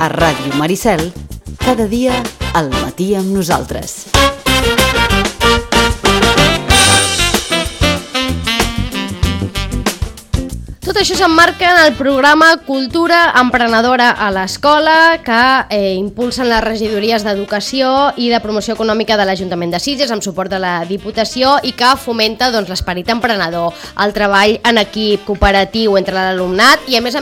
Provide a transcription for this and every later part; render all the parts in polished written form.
A Ràdio Maricel, cada dia al matí amb nosaltres. Tot això s'emmarca en el programa Cultura Emprenedora a l'Escola que impulsen les regidories d'Educació i de Promoció Econòmica de l'Ajuntament de Sitges amb suport de la Diputació i que fomenta l'esperit emprenedor, el treball en equip, cooperatiu entre l'alumnat i a més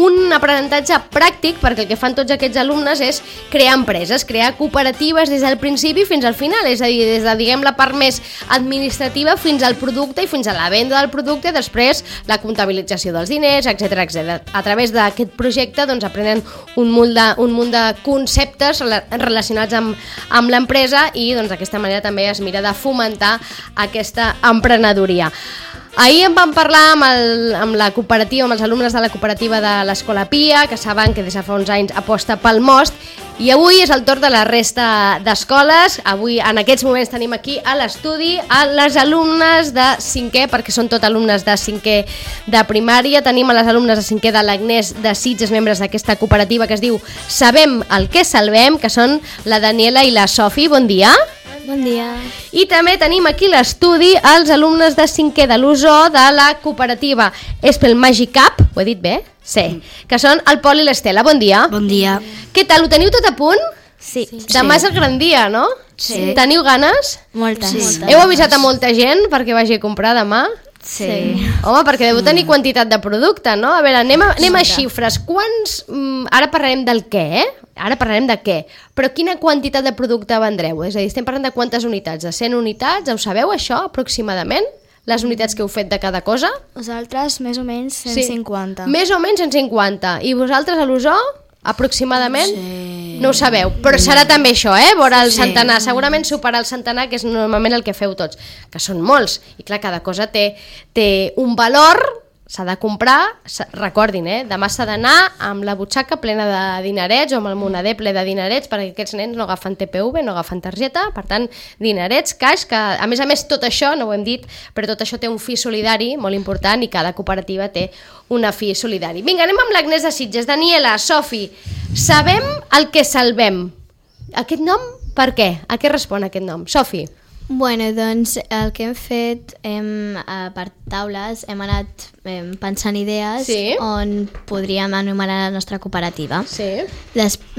un aprenentatge pràctic perquè el que fan tots aquests alumnes és crear empreses, crear cooperatives des del principi fins al final, és a dir, des de la part més administrativa fins al producte i fins a la venda del producte i després la comptabilització dels diners, etc. A través d'aquest projecte aprenen un munt de conceptes relacionats amb l'empresa i d'aquesta manera també es mira de fomentar aquesta emprenedoria. Ahir em vam parlar amb la cooperativa, amb els alumnes de la cooperativa de l'Escola Pia, que saben que des de fa uns anys aposta pel most, i avui és el torn de la resta d'escoles. Avui, en aquests moments, tenim aquí a l'estudi a les alumnes de 5è, perquè són tot alumnes de 5è de primària. Tenim a les alumnes de 5è de l'Agnès de Sitges, membres d'aquesta cooperativa que es diu Sabem el que salvem, que són la Daniela i la Sofi. Bon dia. Bon dia. I també tenim aquí a l'estudi els alumnes de 5è de l'Usó de la cooperativa Espel Magic Cup, ho he dit bé? Sí. Que són el Pol i l'Estela. Bon dia. Bon dia. Què tal, ho teniu tot a punt? Sí. Demà és el gran dia, no? Sí. Teniu ganes? Moltes. Sí. Heu avisat a molta gent perquè vagi a comprar demà? Sí. Home, perquè deu tenir quantitat de producte, no? A veure, anem a xifres. Quants... Ara parlarem del què, Ara parlarem de què. Però quina quantitat de producte vendreu? És a dir, estem parlant de quantes unitats? De 100 unitats? Ho sabeu, això, aproximadament? Les unitats que heu fet de cada cosa? Nosaltres, més o menys, 150. Sí. Més o menys 150. I vosaltres, a l'Usó, aproximadament? Sí. No ho sabeu, però serà també això, vora el centenar. Segurament superar el centenar, que és normalment el que feu tots, que són molts. I clar, cada cosa té un valor, s'ha de comprar, recordin, demà s'ha d'anar amb la butxaca plena de dinerets o amb el monader ple de dinerets perquè aquests nens no agafen TPV, no agafen targeta, per tant, dinerets, caix, que a més tot això, no ho hem dit, però tot això té un fi solidari molt important i cada cooperativa té una fi solidari. Vinga, anem amb l'Agnès de Sitges. Daniela, Sofi, Sabem el que salvem. Aquest nom, per què? A què respon aquest nom? Sofi. Bueno, doncs el que hem fet per taules hem anat pensant idees on podríem anomenar la nostra cooperativa. Sí.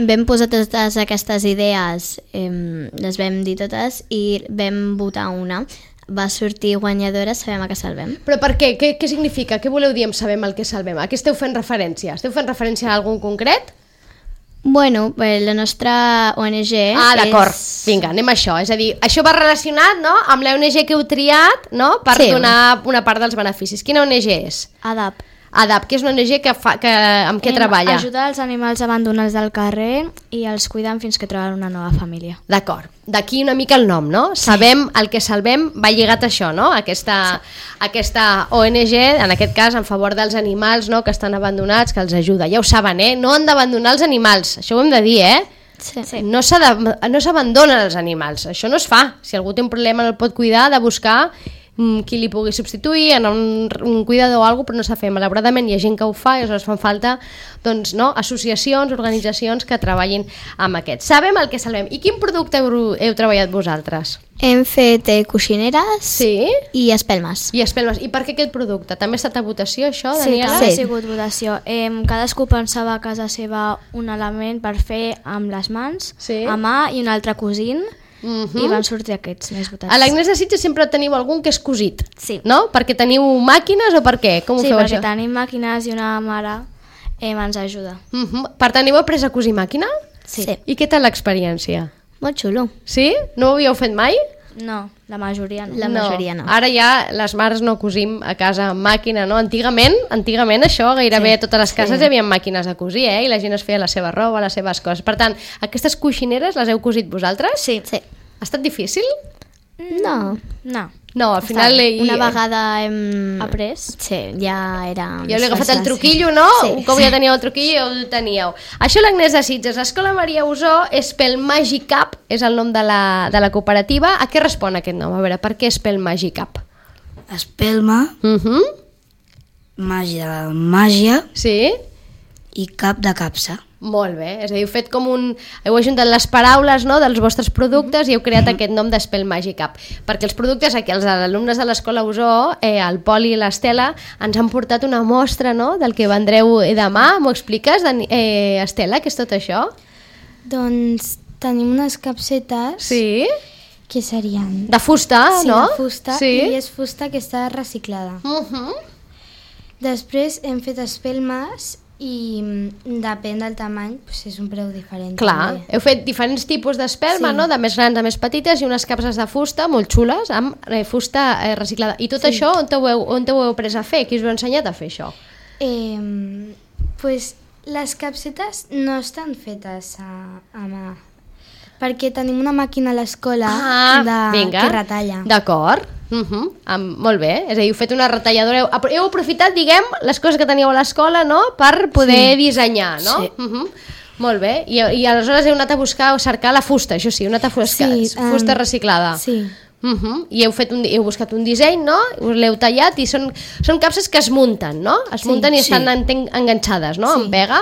Vam posar totes aquestes idees, les vam dir totes i vam votar una. Va sortir guanyadora Sabem el que salvem. Però per què? Què significa? Què voleu dir amb Sabem el que salvem? A què esteu fent referència? Esteu fent referència a algun concret? Bueno, la nostra ONG d'acord. Vinga, anem a això. És a dir, això va relacionat, no?, amb la ONG que heu triat, no?, per donar una part dels beneficis. Quina ONG és? ADAP. ADAP, que és una ONG amb què treballa? Ajuda els animals abandonats del carrer i els cuiden fins que troben una nova família. D'acord. D'aquí una mica el nom, no? Sí. Sabem el que salvem va lligat a això, no? Aquesta ONG, en aquest cas, en favor dels animals, no?, que estan abandonats, que els ajuda. Ja ho saben, no han d'abandonar els animals. Això ho hem de dir, Sí. No s'abandonen els animals. Això no es fa. Si algú té un problema no el pot cuidar, ha de buscar qui li pugui substituir, en un cuidador o alguna cosa, però no s'ha fet. Malauradament hi ha gent que ho fa i aleshores fan falta associacions, organitzacions que treballin amb aquest. Sabem el que salvem. I quin producte heu treballat vosaltres? Hem fet coixineres i espelmes. I per què aquest producte? També ha estat a votació, això, Daniela? Sí, també ha sigut votació. Cadascú pensava a casa seva un element per fer amb les mans, a mà i un altre cosint, i van sortir aquests més votats. A l'Agnès de Sitges sempre teniu algun que és cosit, no? Perquè teniu màquines o per què? Com ho feu això? Sí, perquè tenim màquines i una mare ens ajuda. Per tant, heu après a cosir màquina? Sí. I què tal l'experiència? Molt xulo. Sí? No ho havíeu fet mai? No, la majoria no. La majoria no. Ara ja les mares no cosim a casa amb màquina, no? Antigament això, gairebé a totes les cases hi havia màquines de cosir, i la gent es feia la seva roba, les seves coses. Per tant, aquestes coixineres les heu cosit vosaltres? Sí. Ha estat difícil? No. No, al final... Una vegada hem après. Sí, ja era... Ja heu agafat el truquillo, no? Un cop ja teníeu el truquillo, ja ho teníeu. Això l'Agnès de Sitges. Escola Maria Usó, Espel Magic Cup, és el nom de la cooperativa. A què respon aquest nom? A veure, per què Espel Magic Cup? Espelma, màgia, Sí? i cap de capsa. Molt bé, és a dir, heu fet com heu ajuntat les paraules, no?, dels vostres productes i heu creat aquest nom d'Espel Magic App, perquè els productes aquí, els alumnes de l'Escola Osó, el Pol i l'Estela, ens han portat una mostra, no?, del que vendreu demà. M'ho expliques, Estela, què és tot això? Doncs tenim unes capsetes... Sí? Que serien... De fusta, no? Sí, de fusta, i és fusta que està reciclada. Després hem fet espelmes i depèn del tamany, és un preu diferent. Clar, també. Heu fet diferents tipus d'espelma, no? De més grans a més petites, i unes capses de fusta molt xules amb fusta reciclada. I tot això on ho heu pres a fer? Qui us ho ha ensenyat a fer això? Les capsetes no estan fetes a mà, perquè tenim una màquina a l'escola que retalla. D'acord. Molt bé, és a dir, heu fet una retalladora, heu aprofitat, diguem, les coses que teníeu a l'escola, no?, per poder dissenyar, no? Sí. Molt bé, i aleshores heu anat a cercar la fusta, això sí, heu anat a fusta reciclada. Sí. I heu buscat un disseny, no?, l'heu tallat, i són capses que es munten, no? Es munten i estan enganxades, no?, amb pega.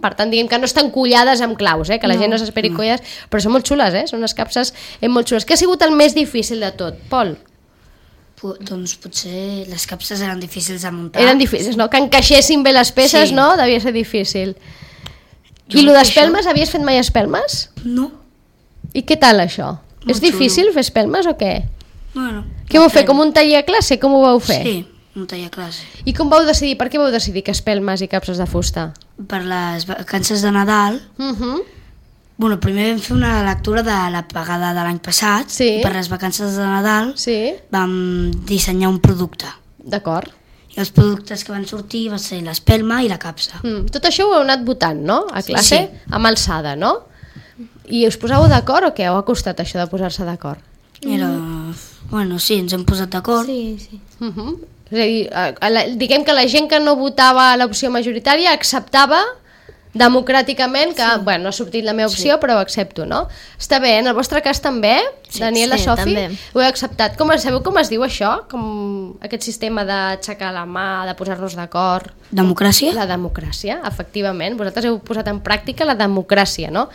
Per tant, diguem que no estan collades amb claus, que la gent no s'esperi collades, però són molt xules, són unes capses molt xules. Què ha sigut el més difícil de tot, Pol? Doncs potser les capses eren difícils de muntar. Eren difícils, no? Que encaixessin bé les peces, no? Devia ser difícil. I lo d'espelmes, havies fet mai espelmes? No. I què tal això? És difícil fer espelmes o què? Bueno. Què vau fer? Com un taller a classe? Com ho vau fer? Sí, un taller a classe. I com vau decidir? Per què vau decidir que espelmes i capses de fusta? Per les vacances de Nadal. Bueno, primer vam fer una lectura de la pagada de l'any passat, i per les vacances de Nadal vam dissenyar un producte. D'acord. I els productes que van sortir va ser l'espelma i la capsa. Tot això ho heu anat votant, no?, a classe, amb alçada, no? I us posàveu d'acord o què? O ha costat això de posar-se d'acord? Bueno, sí, ens hem posat d'acord. Sí. És a dir, diguem que la gent que no votava l'opció majoritària acceptava democràticament que, bueno, no ha sortit la meva opció, però ho accepto, no? Està bé, en el vostre cas també, Daniela, Sofi, ho heu acceptat. Sabeu com es diu això? Com aquest sistema d'aixecar la mà, de posar-nos d'acord? Democràcia? La democràcia, efectivament. Vosaltres heu posat en pràctica la democràcia, no?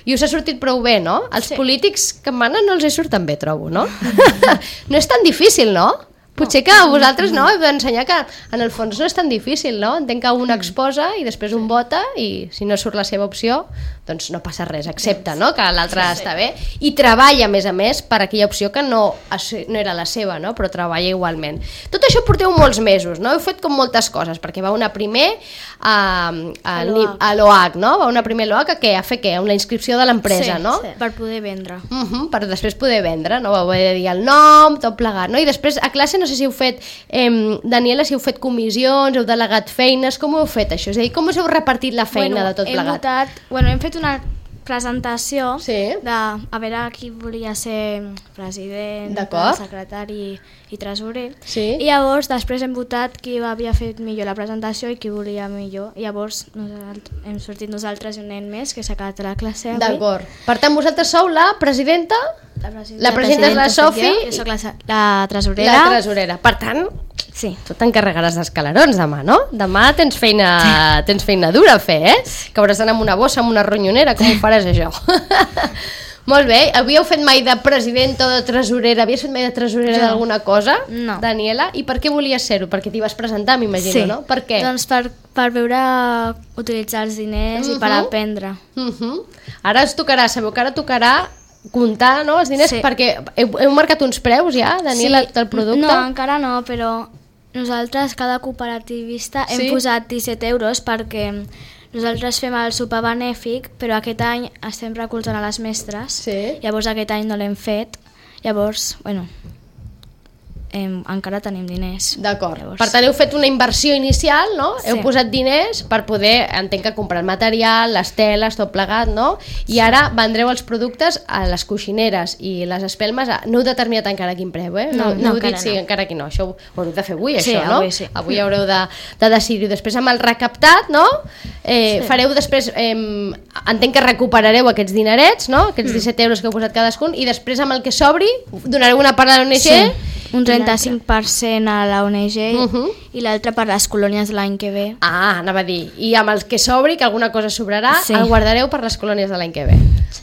I us ha sortit prou bé, no? Els polítics que manen no els hi surten bé, trobo, no? No és tan difícil, no? Potser que a vosaltres no, heu d'ensenyar que en el fons no és tan difícil, no? Entenc que un exposa i després un vota i si no surt la seva opció, doncs no passa res, accepta, no?, que l'altre està bé i treballa, a més, per aquella opció que no era la seva, no?, però treballa igualment. Tot això porteu molts mesos, no? Heu fet com moltes coses, perquè va anar primer a l'OH, no? Va anar primer a l'OH a fer què? Amb la inscripció de l'empresa, no? Sí, per poder vendre. Per després poder vendre, no? Vau haver de dir el nom, tot plegat, no? I després a classe no sé si heu fet, Daniela, si heu fet comissions, heu delegat feines, com ho heu fet això? És a dir, com us heu repartit la feina de tot plegat? Hem fet una presentació de a veure qui volia ser president, secretari i tresorer, i llavors després hem votat qui havia fet millor la presentació i qui volia millor, i llavors hem sortit nosaltres i un nen més que s'ha quedat a la classe avui. D'acord. Per tant, vosaltres sou la presidenta? La presidenta és la Sofi. Jo soc la tresorera. La tresorera. Per tant, tu t'encarregaràs dels calarons demà, no? Demà tens feina dura a fer, que hauràs d'anar amb una bossa, amb una ronyonera, com ho faràs això? Molt bé. Havíeu fet mai de presidenta o de tresorera? Havies fet mai de tresorera d'alguna cosa? No. Daniela, i per què volies ser-ho? Perquè t'hi vas presentar, m'imagino, no? Per què? Doncs per veure utilitzar els diners i per aprendre. Ara us tocarà, sabeu que ara tocarà comptar, no, els diners, perquè heu marcat uns preus ja, Daniela, del producte? No, encara no, però nosaltres, cada cooperativista, hem posat 17 euros perquè nosaltres fem el sopar benèfic, però aquest any estem recolzant a les mestres, llavors aquest any no l'hem fet, llavors, encara tenim diners. D'acord. Per tant, heu fet una inversió inicial, no? Heu posat diners per poder, entenc que comprar el material, les teles, tot plegat, no? I ara vendreu els productes a les coixineres i les espelmes. No heu determinat encara quin preu, No heu dit si encara aquí no. Això ho haureu de fer avui, això, no? Avui haureu de decidir. Després, amb el recaptat, no? Fareu després, entenc que recuperareu aquests dinerets, no? Aquests 17 euros que heu posat cadascun, i després amb el que sobri donareu una part a l'ONG un 35% a la ONG i l'altre per les colònies l'any que ve. Anava a dir, i amb el que sobri, que alguna cosa sobrarà, el guardareu per les colònies de l'any que ve.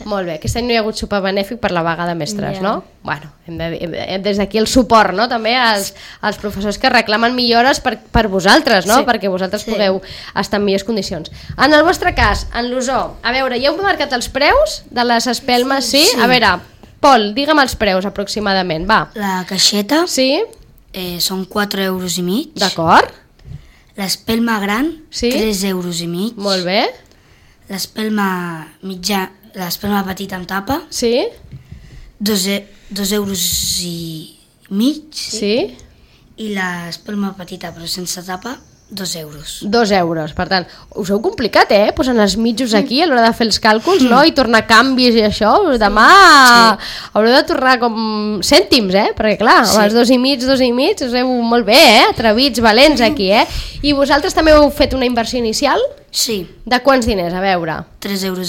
Molt bé, aquest any no hi ha hagut sopar benèfic per la vaga de mestres, no? Bueno, des d'aquí el suport, no? També als professors que reclamen millores per vosaltres, no? Perquè vosaltres pugueu estar en millors condicions. En el vostre cas, en l'Osó, a veure, ja heu marcat els preus de les espelmes, sí? A veure, Pol, digue'm els preus aproximadament, va. La caixeta són 4,5 euros. D'acord. L'espelma gran, 3,5 euros. Molt bé. L'espelma mitjà, l'espelma petita amb tapa, 2,5 euros. Sí. I l'espelma petita però sense tapa, 2 euros. 2 euros, per tant, us heu complicat, posant els mitjos aquí a l'hora de fer els càlculs, no? I tornar canvis i això, demà haureu de tornar com cèntims, perquè clar, amb els 2,5, us heu molt bé, atrevits, valents aquí, I vosaltres també heu fet una inversió inicial? Sí. De quants diners, a veure? 3,5 euros.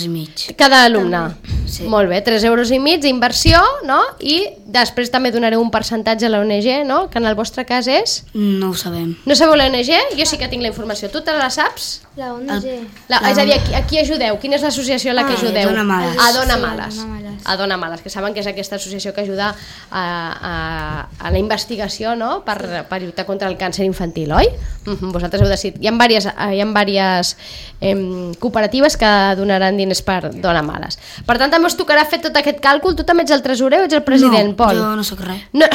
Cada alumne? Sí. Molt bé, 3,5 euros d'inversió, no? I després també donareu un percentatge a l'ONG, no? Que en el vostre cas és? No ho sabem. No sabeu l'ONG? Jo sí que tinc la informació. Tu te la saps? La ONG. És a dir, a qui ajudeu? Quina és l'associació a la que ajudeu? A Dona Males. A Dona Males. A Dona Males, que saben que és aquesta associació que ajuda a la investigació, no? Per lluitar contra el càncer infantil, oi? Vosaltres heu decidit. Hi ha diverses cooperatives que donaran diners per Dona Males. Per tant, també us tocarà fer tot aquest càlcul. Tu també ets el tresorer o ets el president, Pol? No, jo no sóc res. No.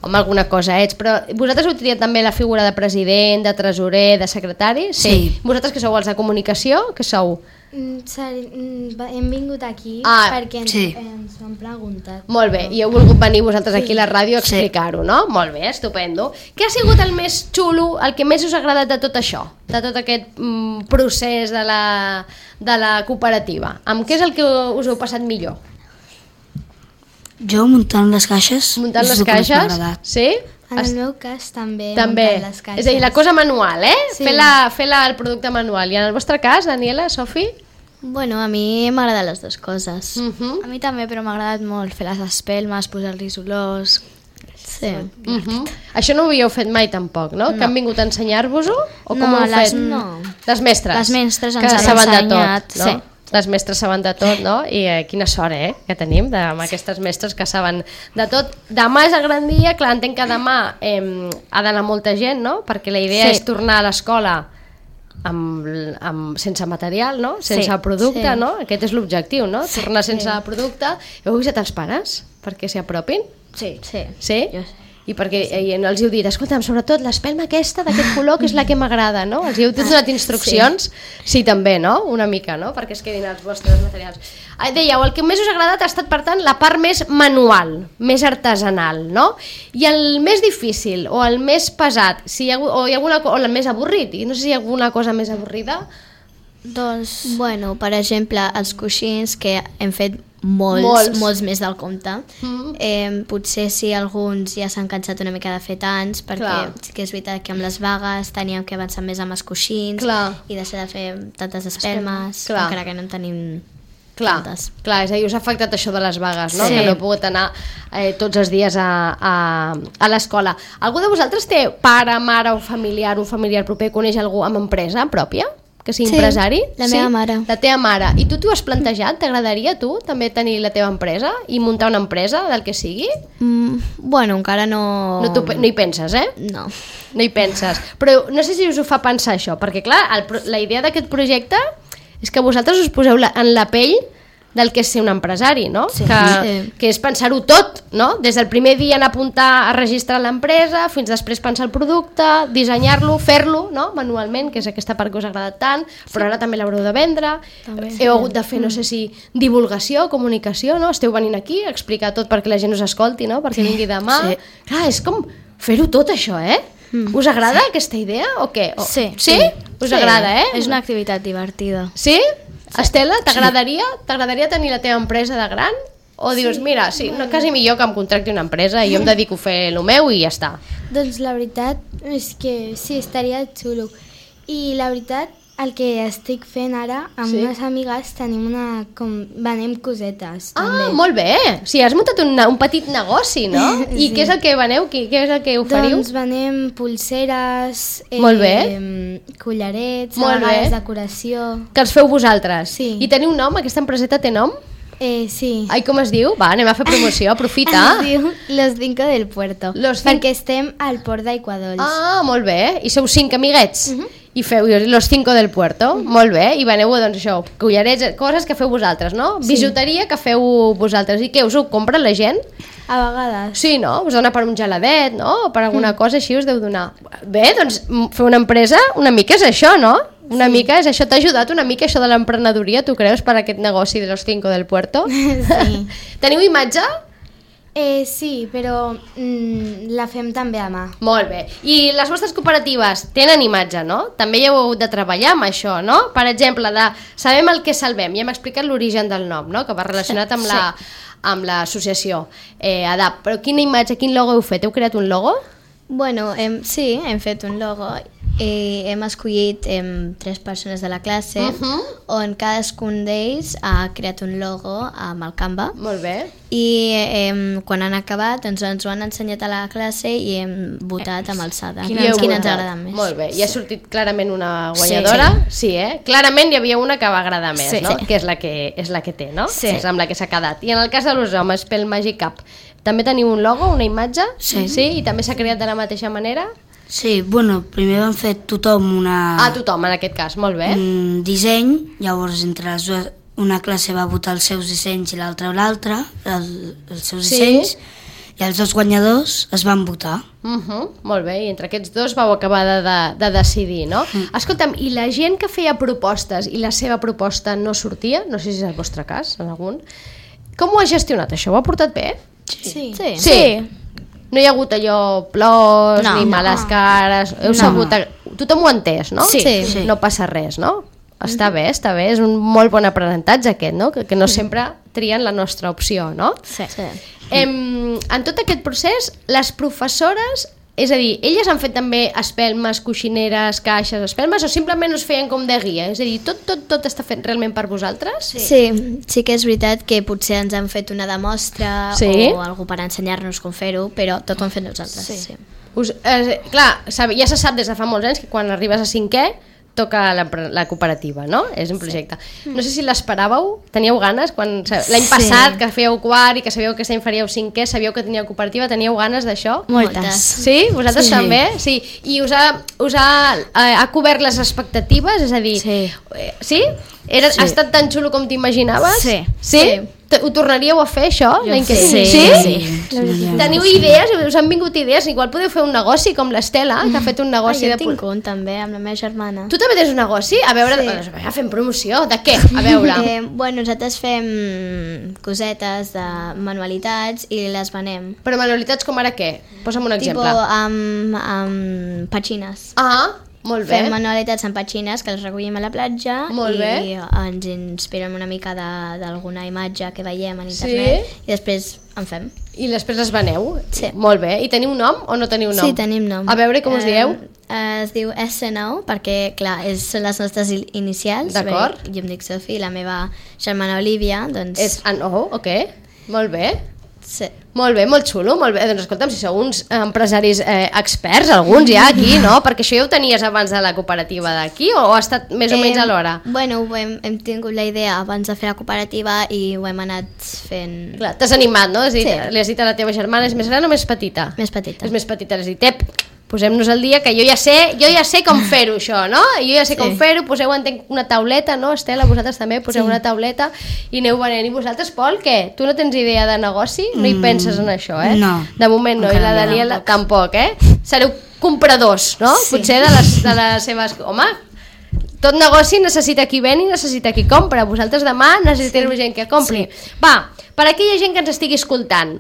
Home, alguna cosa ets, però vosaltres heu triat també la figura de president, de tresorer, de secretari? Sí. Vosaltres que sou els de comunicació, què sou? Hem vingut aquí perquè ens ho han preguntat. Molt bé, i heu volgut venir vosaltres aquí a la ràdio a explicar-ho, no? Molt bé, estupendo. Què ha sigut el més xulo, el que més us ha agradat de tot això? De tot aquest procés de la cooperativa? Amb què és el que us heu passat millor? Jo muntant les caixes. Muntant les caixes? Sí? En el meu cas també. Les caixes. És a dir, la cosa manual, Sí. Fer el producte manual. I en el vostre cas, Daniela, Sofi? Bueno, a mi m'agraden les dues coses. A mi també, però m'ha agradat molt fer les espelmes, posar-los olors. Sí. Això no ho havíeu fet mai tampoc, no? Que han vingut a ensenyar-vos-ho? O com ho heu fet? No. Les mestres? Les mestres ens han ensenyat, no? Les mestres saben de tot, no? I quina sort, que tenim amb aquestes mestres que saben de tot. Demà és el gran dia, clar, entenc que demà ha d'anar molta gent, no? Perquè la idea és tornar a l'escola sense material, no? Sense producte, no? Aquest és l'objectiu, no? Tornar sense producte. Heu avisat els pares perquè s'hi apropin? Sí. Sí? I perquè els heu dit, escolta'm, sobretot l'espelma aquesta d'aquest color que és la que m'agrada, no? Els heu donat instruccions? Sí, també, no? Una mica, no? Perquè es quedin els vostres materials. Dèieu, el que més us ha agradat ha estat, per tant, la part més manual, més artesanal, no? I el més difícil o el més pesat, o el més avorrit, i no sé si hi ha alguna cosa més avorrida? Doncs, bueno, per exemple, els coixins que hem fet molts més del compte. Potser si alguns ja s'han cansat una mica de fer tants, perquè sí que és veritat que amb les vagues teníem que avançar més amb els coixins i deixar de fer tantes espelmes, encara que no en tenim tantes. Clar, és a dir, us ha afectat això de les vagues, no? Que no heu pogut anar tots els dies a l'escola. Algú de vosaltres té pare, mare o familiar, un familiar proper, coneix algú amb empresa pròpia? Que sigui empresari? La meva mare. La teva mare. I tu t'ho has plantejat? T'agradaria tu també tenir la teva empresa i muntar una empresa del que sigui? Bueno, encara no... No hi penses, No. No hi penses. Però no sé si us ho fa pensar això, perquè clar, la idea d'aquest projecte és que vosaltres us poseu en la pell del que és ser un empresari, no? Sí. Que és pensar-ho tot, no? Des del primer dia anar a apuntar a registrar l'empresa, fins després pensar el producte, dissenyar-lo, fer-lo, no? Manualment, que és aquesta part que us ha agradat tant, però ara també l'haureu de vendre. Heu hagut de fer, no sé si, divulgació, comunicació, no? Esteu venint aquí a explicar tot perquè la gent us escolti, no? Perquè vingui demà. Sí. Clar, és com fer-ho tot, això, Us agrada aquesta idea o què? Sí. Sí? Us agrada, És una activitat divertida. Sí? Estela, t'agradaria tenir la teva empresa de gran? O dius, mira, sí, quasi millor que em contracti una empresa i jo em dedico a fer el meu i ja està? Doncs la veritat és que sí, estaria xulo. I la veritat El que estic fent ara, amb unes amigues, venem cosetes. També. Molt bé! O sigui, has muntat un petit negoci, no? I què és el que veneu? Què és el que oferiu? Doncs venem pulseres, collarets, a vegades decoració... Que els feu vosaltres? Sí. I teniu nom? Aquesta empreseta té nom? Sí. Ai, com es diu? Va, anem a fer promoció, aprofita. Es diu Los Cinco del Puerto, perquè estem al port d'Aiguadolls. Ah, molt bé. I sou 5 amiguets? I feu Los Cinco del Puerto? Molt bé. I veneu, doncs això, collarets, coses que feu vosaltres, no? Bijuteria que feu vosaltres. I què, us ho compra la gent? A vegades. Sí, no? Us dona per un geladet, no? O per alguna cosa així us deu donar. Bé, doncs fer una empresa una mica és això, no? Una mica és això, t'ha ajudat una mica això de l'emprenedoria, tu creus, per aquest negoci de Los Cinco del Puerto? Sí. Teniu imatge? Sí, però la fem també a mà. Molt bé. I les vostres cooperatives tenen imatge, no? També hi heu hagut de treballar amb això, no? Per exemple, sabem el que salvem, ja hem explicat l'origen del nom, no? Que va relacionat amb l'associació ADAP. Però quina imatge, quin logo heu fet? Heu creat un logo? Bueno, sí, hem fet un logo i hem escollit 3 persones de la classe on cadascun d'ells ha creat un logo amb el Canva. Molt bé. I quan han acabat ens ho han ensenyat a la classe i hem votat amb alçada quina ens agrada més. Molt bé, i ha sortit clarament una guanyadora. Sí, clarament hi havia una que va agradar més, no? Que és la que té, no? Sí. És amb la que s'ha quedat. I en el cas de los homes, pel Magic Cup, també teniu un logo, una imatge? Sí. I també s'ha creat de la mateixa manera? Sí, bueno, primer vam fer tothom tothom, en aquest cas, molt bé. Un disseny, llavors entre les dues, una classe va votar els seus dissenys i l'altra els seus dissenys, i els 2 guanyadors es van votar. Molt bé, i entre aquests 2 vau acabar de decidir, no? Escolta'm, i la gent que feia propostes i la seva proposta no sortia, no sé si és el vostre cas, en algun, com ho ha gestionat això? Ho ha portat bé? Sí. No hi ha hagut allò plors ni males cares, heu sabut, tothom ho ha entès, no? Sí. No passa res, no? Està bé, és un molt bon aprenentatge aquest, no? Que no sempre trien la nostra opció, no? Sí. En tot aquest procés, les professores, és a dir, elles han fet també espelmes, coixineres, caixes, espelmes, o simplement us feien com de guia? És a dir, tot està fet realment per vosaltres? Sí que és veritat que potser ens han fet una demostra o algú per ensenyar-nos com fer-ho, però tot ho hem fet nosaltres. Sí. Clar, ja se sap des de fa molts anys que quan arribes a 5è toca la cooperativa, no? És un projecte. No sé si l'esperàveu, teníeu ganes? L'any passat, que fèieu quart i que sabíeu que aquest any faríeu 5è, sabíeu que teníeu cooperativa, teníeu ganes d'això? Moltes. Sí? Vosaltres també? Sí. I us ha cobert les expectatives? És a dir, sí? Ha estat tan xulo com t'imaginaves? Sí? Ho tornaríeu a fer, això? Sí? Teniu idees? Us han vingut idees? Igual podeu fer un negoci com l'Estela, que ha fet un negoci jo tinc un també, amb la meva germana. Tu també tens un negoci? A veure, fem promoció. De què? A veure. Nosaltres fem cosetes de manualitats i les venem. Però manualitats com ara què? Posa'm un exemple. Amb petxines. Molt bé. Fem manualitats amb petxines que les recollim a la platja i ens inspirem una mica d'alguna imatge que veiem a internet i després en fem. I després les veneu? Sí. Molt bé. I teniu nom o no teniu nom? Sí, tenim nom. A veure, com us dieu? Es diu SNO perquè, clar, són les nostres inicials. D'acord. Jo em dic Sophie, la meva germana Olivia, doncs... És ANO, ok. Molt bé. Sí. Molt bé, molt xulo, molt bé. Doncs escolta'm, si sou uns empresaris experts, alguns ja aquí, no? Perquè això ja ho tenies abans de la cooperativa d'aquí o ha estat més o menys alhora? Bueno, hem tingut la idea abans de fer la cooperativa i ho hem anat fent... Clar, t'has animat, no? Li has dit a la teva germana, és més gran o més petita? Més petita. És més petita, li has dit, posem-nos al dia, que jo ja sé com fer-ho això, no? Jo ja sé com fer-ho, poseu una tauleta, no, Estela? Vosaltres també poseu una tauleta i aneu venent. I vosaltres, Pol, què? Tu no tens idea de negoci? No hi penses en això, No. De moment no, i la Daniela tampoc, Sereu compradors, no? Sí. Potser de les seves... Home, tot negoci necessita qui ven i necessita qui compra. Vosaltres demà necessitareu gent que compri. Va, per aquella gent que ens estigui escoltant,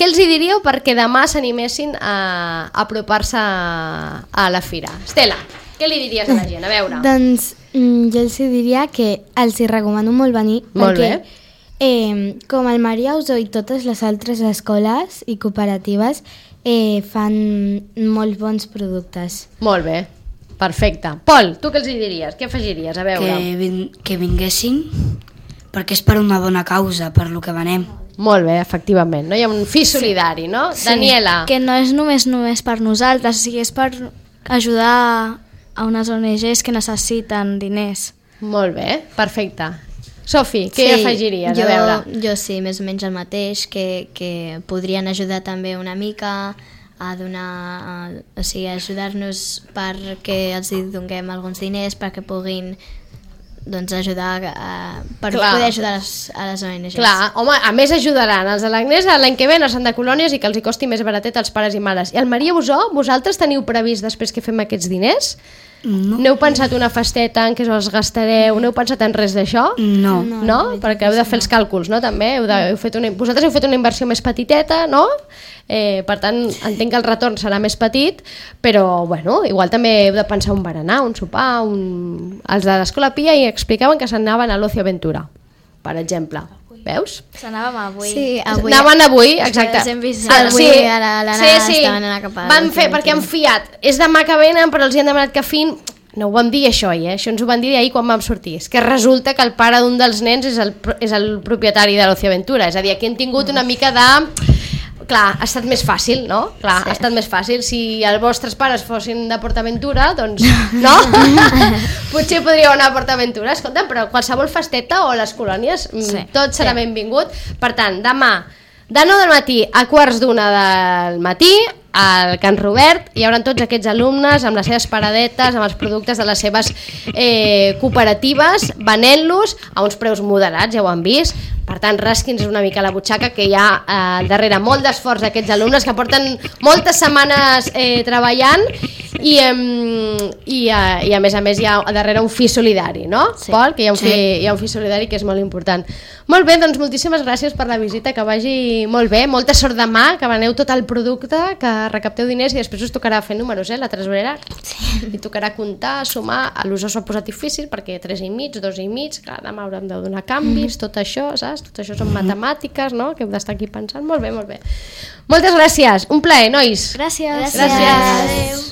què els hi diríeu perquè demà s'animessin a apropar-se a la fira? Estela, què li diries a la gent? A veure. Doncs jo els diria que els hi recomano molt venir. Molt bé. Com el Maria Usó i totes les altres escoles i cooperatives fan molt bons productes. Molt bé. Perfecte. Pol, tu què els diries? Què afegiries? A veure. Que vinguessin, perquè és per una bona causa, per lo que venem. Molt bé, efectivament. No? Hi ha un fi solidari, no? Sí. Daniela. Que no és només per nosaltres, o sigui, és per ajudar a unes ONGs que necessiten diners. Molt bé, perfecte. Sofi, què afegiries? A veure. Jo sí, més o menys el mateix, que podrien ajudar també una mica a donar, o sigui, ajudar-nos perquè els donem alguns diners perquè puguin ajudar per poder ajudar a les ONGs. Clar, home, a més ajudaran els de l'Agnès l'any que ve a Santa Colònies i que els hi costi més baratet als pares i mares. I el Maria Busó, vosaltres teniu previst després que fem aquests diners? No. N'heu pensat una festeta en què els gastareu? N'heu pensat en res d'això? No. No? Perquè heu de fer els càlculs, no? També vosaltres heu fet una inversió més petiteta, no? Per tant, entenc que el retorn serà més petit, però bueno, igual també heu de pensar un berenar, un sopar, Els de l'Escola Pia hi explicaven que s'anaven a l'Ocio Aventura, per exemple. Veus? S'anàvem avui. Sí, avui. Anaven avui, exacte. Avui a l'Anna estaven a la capa. Van fer, perquè han fiat. És demà que venen, però els hi han demanat que fin... No ho vam dir això ahir, això ens ho van dir ahir quan vam sortir. És que resulta que el pare d'un dels nens és el propietari de l'Ocio Aventura. És a dir, aquí hem tingut una mica de... Clar, ha estat més fàcil, no? Clar, ha estat més fàcil. Si els vostres pares fossin de PortAventura, doncs, no? Potser podríeu anar a PortAventura. Escolta, però qualsevol festeta o les colònies, tot serà benvingut. Per tant, demà, de 9 del matí a 12:15 del matí, al Can Robert, hi haurà tots aquests alumnes amb les seves paradetes, amb els productes de les seves cooperatives, venent-los a uns preus moderats, ja ho han vist. Per tant, rasqui'ns una mica la butxaca, que hi ha darrere molt d'esforç d'aquests alumnes que porten moltes setmanes treballant i a més hi ha darrere un fi solidari, no? Sí. Pol, que hi ha un fi solidari que és molt important. Molt bé, doncs moltíssimes gràcies per la visita, que vagi molt bé, molta sort demà, que veneu tot el producte, que recapteu diners i després us tocarà fer números, la tresorera. Sí. I tocarà comptar, sumar, a l'USO s'ho ha posat difícil perquè 3,5, 2,5, clar, demà haurem de donar canvis, tot això, saps? Tot això són matemàtiques, no? Que heu d'estar aquí pensant. Molt bé, molt bé. Moltes gràcies, un plaer, nois. Gràcies. Gràcies.